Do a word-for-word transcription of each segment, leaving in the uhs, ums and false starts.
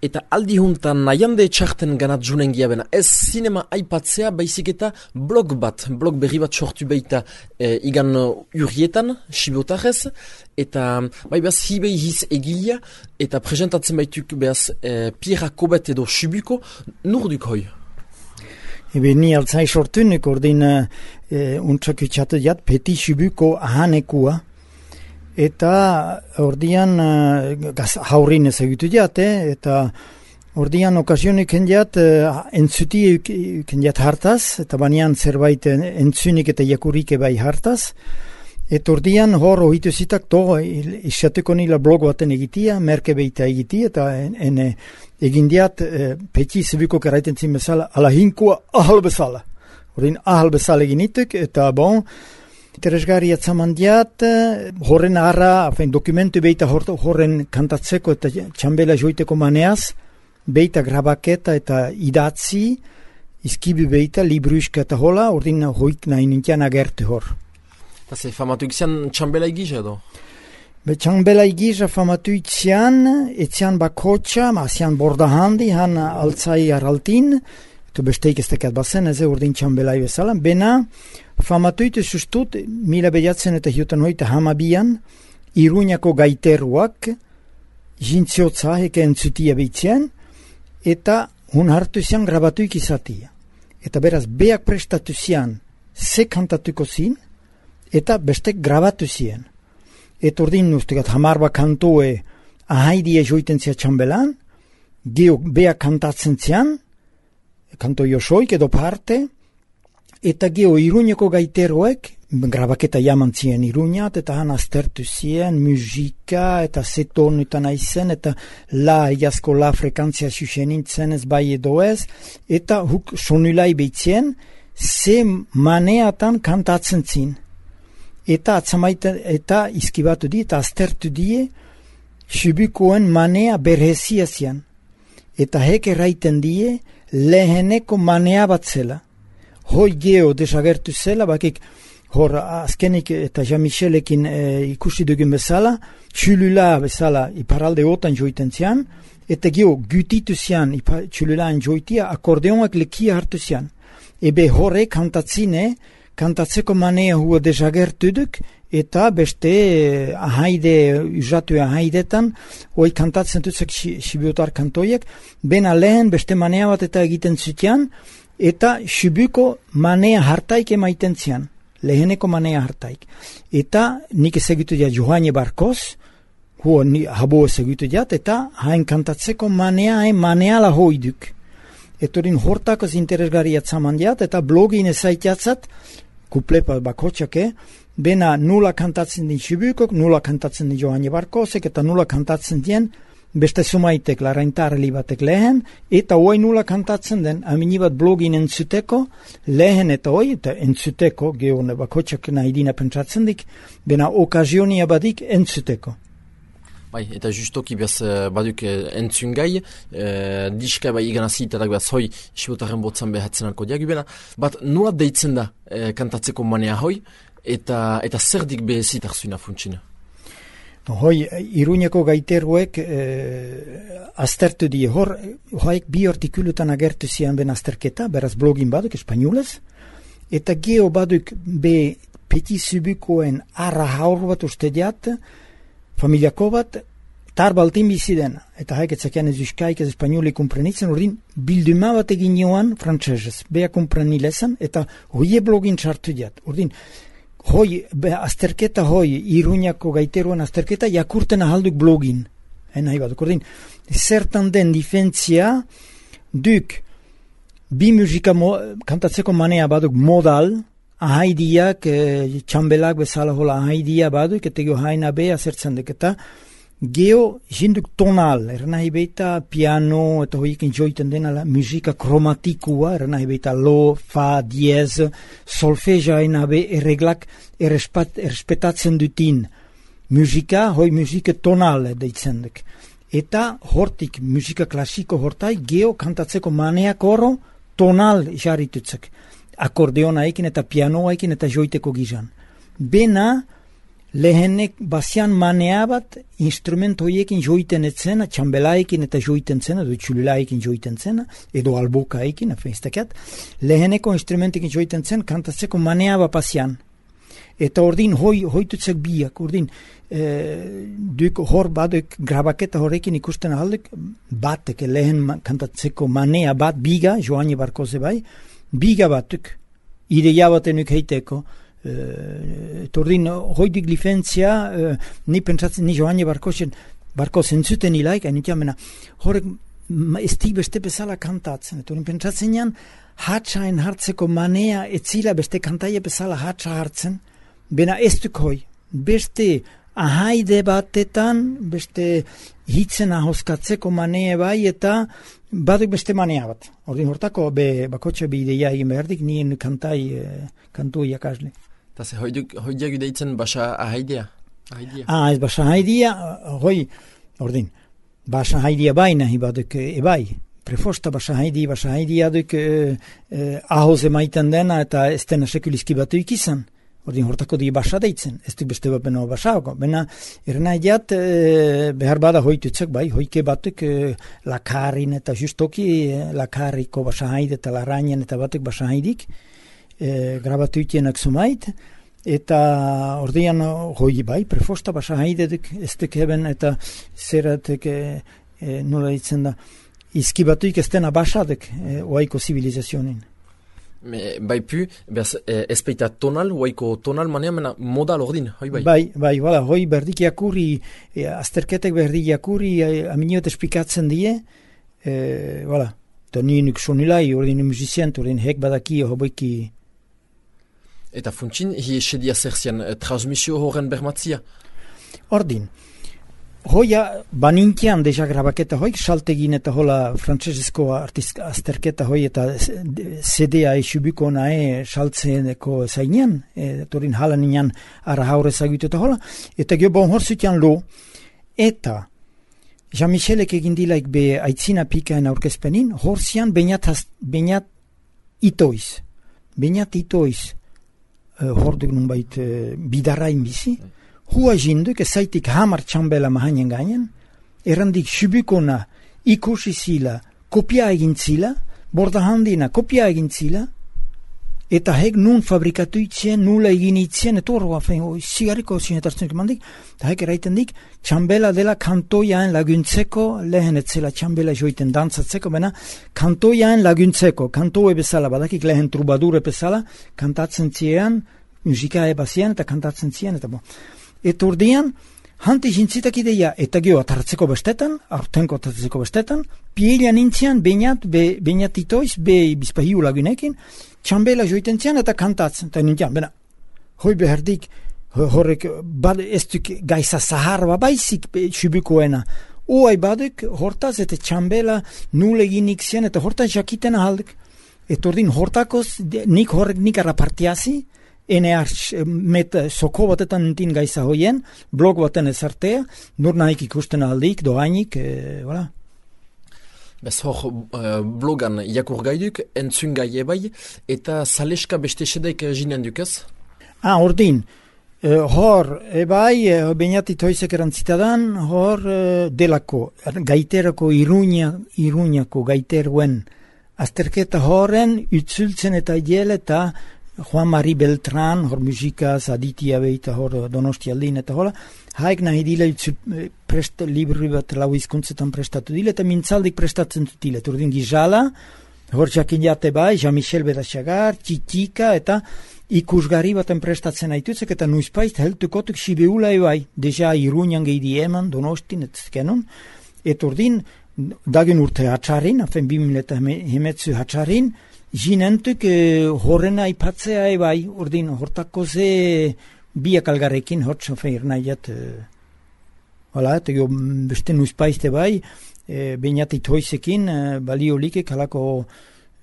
eta aldi juntan nahiande txarten ganat junen giabena. Ez zinema aipatzea, baizik eta blog bat, blog berri bat sortu baita e, igan urrietan, sibotarez, eta bai behaz hibei hiz egilia, eta presentatzen baituk behaz e, Pierra Kobet edo Subuko, nurduk hoi? Ebe ni altzai sortunik ordin e, untsak itxatu jat, Peti Subuko ahanekua, eta ordian uh, haurin ezagutu jate, eta ordian okazionik endiat uh, entzuti endiat hartaz, eta banean zerbait entzunik eta jakurik bai hartaz, eta ordian hor ohitu zitak to isateko nila blog baten egitia, merke beita egitia, eta ene egindiat uh, Peti Subuko karaiten zin bezala, ala hinkua ahal bezala. Ordin ahal bezala eginituk, eta bon, interesgarri atzamandiat, horren arra, fein, dokumentu beita horren kantatzeko eta txambela joiteko maneaz, beita grabaketa eta idatzi, izkibi beita, libruiska eta hola, ordin hoik nahi nintian agertu hor. Eta ze famatu ikizian txambela egiza edo? Be txambela egiza famatu ikizian, etzian bakotxa, ma zian borda handi, han altzai araltin, eto besteik ez tekat bazen, ez ordin txambela bezala, bena, famatuite sustut, mila behatzen eta hiutan hoita hamabian, Iruñako gaiteruak, jintziotza heke entzutia behitzen, eta hun hartu zian grabatuik izatia. Eta beraz, beak prestatu zian, ze kantatuko zin, eta bestek grabatu zien. Eta ordin ustegat, hamarba kantoe ahaidie joiten zia txambelan, geok beak kantatzen zian, kanto josoik edo parte, eta geho Iruñeko gaiteroek, grabaketa jaman zien Iruñat, eta han aztertu zien, musika, eta zeton eta naizen, eta la egazko la frekantzia susenintzen ez bai edo ez, eta huk sonulai behitzen, ze maneatan kantatzen zin. Eta atzamaiten, eta izkibatu di, eta aztertu die, Subukoen manea berhezia zian. Eta hek erraiten die, leheneko manea bat zela. Hoi geho desagertu zela, bakik hor azkenik eta Jean-Michelekin e, ikusi dugun bezala, txulula bezala iparalde otan joiten zian, eta geho gutitu zian txululaan joitia, akordeonak lekia hartu zian. Ebe horre kantatzine, kantatzeko manea hua desagertu duk, eta beste e, ahaide, usatu ahaidetan, hoi kantatzen duzak Sibiotar kantoiek, bena lehen beste manea bat eta egiten zutian, eta Subuko manea hartaik emaiten zian, leheneko manea hartaik. Eta nik ezagutu diat Johane Barkoz, huo ni habo ezagutu diat, eta hain kantatzeko manea hain maneala hoiduk. Etorin hortakoz interesgarri atzaman diat, eta blogin ezaitiatzat, kuplepa bakotxake, bena nula kantatzen din Subukok, nula kantatzen din Johane Barkozek, eta nula kantatzen dien beste sumaitek, laraintarli batek lehen, eta hoi nula kantatzen den, aminibat blogin entzuteko, lehen eta hoi, eta entzuteko, geone bakotxak nahi dina pentsatzen dik, bena okazionia badik entzuteko. Bai, eta justoki behaz baduk entzun gai, e, diska bai iganazitarak behaz hoi, Sibotaren botzan behatzen alko diagubena, bat nula deitzen da e, kantatzeko manea hoi, eta, eta zerdik behezitak zuina funtsina? Hoi, Iruñeko gaiteruek eh, aztertu die, hor, hoik bi artikulutan agertu zian ben azterketa, beraz blogin baduk, espainolez, eta geho baduk be Peti Subukoen arra haur bat uste diat, familiako bat, tar baltin biziden, eta haik etzakean ez euskaik ez espainolik kumprenitzen, ordin bilduma bat egin joan frantzesez, beha kumprenilezan, eta hoie blogin txartu diat, ordin, hoi, be, azterketa hoi, Iruñako gaiteruan azterketa, jakurten ahalduk blogin. Eh, nahi baduk, ordin, zertan den difentzia, duk, bi musika mo, kantatzeko manea baduk modal, ahaidiak, eh, txambelak bezala hola ahaidia baduk, eta geho haina beha zertzen duk, eta geho jinduk tonal, ernahi beita piano, eta hoikin joiten dena la musika kromatikua, ernahi beita lo, fa, diez, solfeja enabe erreglak errespat, errespetatzen dutin. Musika, hoi musika tonal deitzen duk. Eta hortik musika klasiko hortai geho kantatzeko maneak oro tonal jarritutzek. Akordeona ekin eta pianoa ekin eta joiteko gizan. Bena, lehenek bazian manea bat instrument horiekin joiten etzena, txambelaekin eta joiten zena, edo txululaekin joiten zena, edo albokaekin, afeinstakat, leheneko instrumentekin joiten zen, kantatzeko manea bat bazian. Eta ordin hoi, hoitutzek biak, ordin e, duk hor baduk grabaketa horrekin ikusten ahalduk, batek lehen kantatzeko manea bat, biga, Joani Barkoze bai, biga batuk, ideia batenuk heiteko, eta ordin hoidik lifentzia, uh, ni pentsatzen, ni Joani Barkozen, Barkozen zuten ilaik, hain ikamena, horrek ez dik beste bezala kantatzen, eta ordin pentsatzen nian, hatsaen hartzeko manea etzila beste kantaia bezala hatsa hartzen, bena ez duk hoi, beste ahaide batetan, beste hitzen ahoskatzeko manea bai, eta baduk beste manea bat. Ordin hortako, be, bakotxe be ideia egin behardik, nien kantai, eh, kantu iakasle. Eta ze hoidiak ideitzen basa ahaidea? Ahaidia. Ah, ez basa ahaidia, hoi, ordin, basa ahaidia bai nahi baduk, e bai, prefosta basa ahaidia, basa ahaidia duk e, e, ahoz emaiten dena, eta ez dena sekulizki batu ikizan. Ordin hortako di basa deitzen, ez duk beste bapeno basako. Bena, erena idiat, e, behar bada hoitutzek, bai, hoike batuk e, lakarin eta justoki e, lakariko basa haide eta larainen eta batuk basa haidik, e, grabatu itienak zumait, eta ordean hoi bai, prefosta basa haideduk ez duk eben, eta zeratek e, e, nola ditzen da, izkibatuik ez dena basaduk e, oaiko zibilizazionin. Me, bai pu, behaz, ez baita tonal, oaiko tonal manea, mena modal ordin, hoi bai? Bai, bai, bai, hoi berdik jakurri, e, azterketek berdik jakurri, e, aminiot esplikatzen die, e, voilà, eta nienuk sonilai, ordin musizien, ordin hek badaki, hoboiki. Eta funtsin, hi esedia zerzian, eh, transmisio horren bermatzia? Ordin, hoia banintian deja grabaketa hoik, saltegin eta hola frantsesezko azterketa hoi eta C D-a esubiko nae saltzeneko zainean, e, torin halan inan ara haure zagitu eta hola, eta gio bon horzutian lo, eta Jean-Michelek egin dilaik be aitzina pikaen aurkezpenin, horzian bainat, bainat itoiz, bainat itoiz, Uh, horduk nun bait uh, bidarain bizi, hua jinduk ezaitik hamar txambela mahainen gainen, errandik subikona ikusi zila, kopia egin zila, borda handina kopia egin zila, eta hek nun fabrikatu itzien, nula egin itzien, eta horroa fein, zigarriko zinetartzen mandik, eta hek eraiten dik, txambela dela kantoiaen laguntzeko, lehen etzela txambela joiten dantzatzeko, bena kantoiaen laguntzeko, kantoe bezala, badakik lehen trubadure bezala, kantatzen ziean, musika ebazien, eta kantatzen zien, eta bo. Eta urdean, hanti jintzitak ideia, eta geho atartzeko bestetan, aurtenko atartzeko bestetan, pielia nintzian, bainat, be, bainat itoiz, be bizpahiu lagunekin, txambela joiten zian eta kantatzen, eta nintian, bena, hoi beherdik, horrek, bad, ez duk gaiza zaharba baizik subikoena, oai baduk, hortaz, eta txambela nule eginik zian, eta hortaz jakiten ahalduk, eta ordin hortakoz, nik horrek nik arrapartiazi, ene arx, met soko batetan nintin gaiza hoien, blog baten ezartea, nur nahik ikusten aldik, doainik, e, voilà. Bez hor uh, blogan jakur gaiduk, entzun gai ebai, eta zaleska beste sedaik jinen dukaz? Ah, ordin, uh, hor ebai, uh, bainatit hoizek erantzitadan, hor uh, delako, gaiterako iruña, iruñako gaiteruen azterketa horren, utzultzen eta jel eta Juan Mari Beltran, hor musikaz, aditia behita, hor Donosti aldin eta hola, haik nahi dile prest, libri bat lau izkuntzetan prestatu dile, eta mintzaldik prestatzen dutile. Turdin gizala, hor jakin jate bai, Jean-Michel Bedaxagar, Txitika, eta ikusgarri baten prestatzen haitutzek, eta nuizpaiz heltukotuk sibeula ebai, deja Iruñan gehi eman, Donostin, et kenon, eta ordin, dagen urte hatxarin, afen bimil eta hemetzu hatxarin, jinentuk eh, horrena ipatzea ebai, ordin, hortako ze biak algarrekin, hot sofer nahiat, eh, hala, eta jo, beste nuizpaizte bai, eh, bainatit hoizekin, eh, balio likek, halako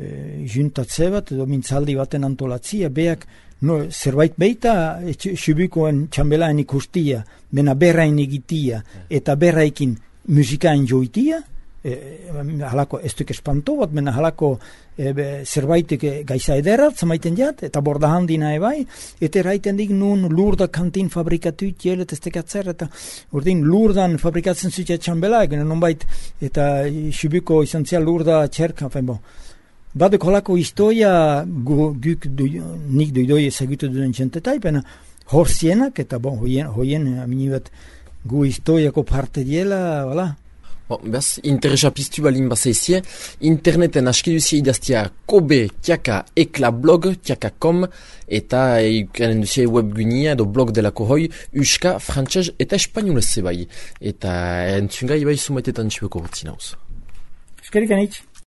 eh, juntatze bat, edo mintzaldi baten antolatzia, beak, no, zerbait beita, subikoen txambelaen ikustia, bena berrain egitia, eta berraikin musikaen joitia, e, halako ez duk espanto bat, mena halako e, be, zerbaitek gaiza ederrat, zamaiten jat, eta borda handina ebai, eta eraiten dik nun lurda kantin fabrikatu jelet ez tekatzer, eta urdin lurdan fabrikatzen zutia txambela, egin nonbait, eta xubiko izan zia lurda txerka, fen bo. Badek holako historia gu, guk du, nik duidoi ezagutu duen txentetai, pena hor zienak, eta bon, hoien, hoien aminibat gu historiako parte diela, wala. Bon, behaz, interesa piztu balin bazaizie, interneten aski duzia idaztia kobe tiaka ekla blog tiaka com eta ikanen duzia webgunia edo blog delako hoi uska, frantxez eta espainolez zebai. Eta entzungai bai sumaitetan txibeko hortzin hauz. Eskerik anitz.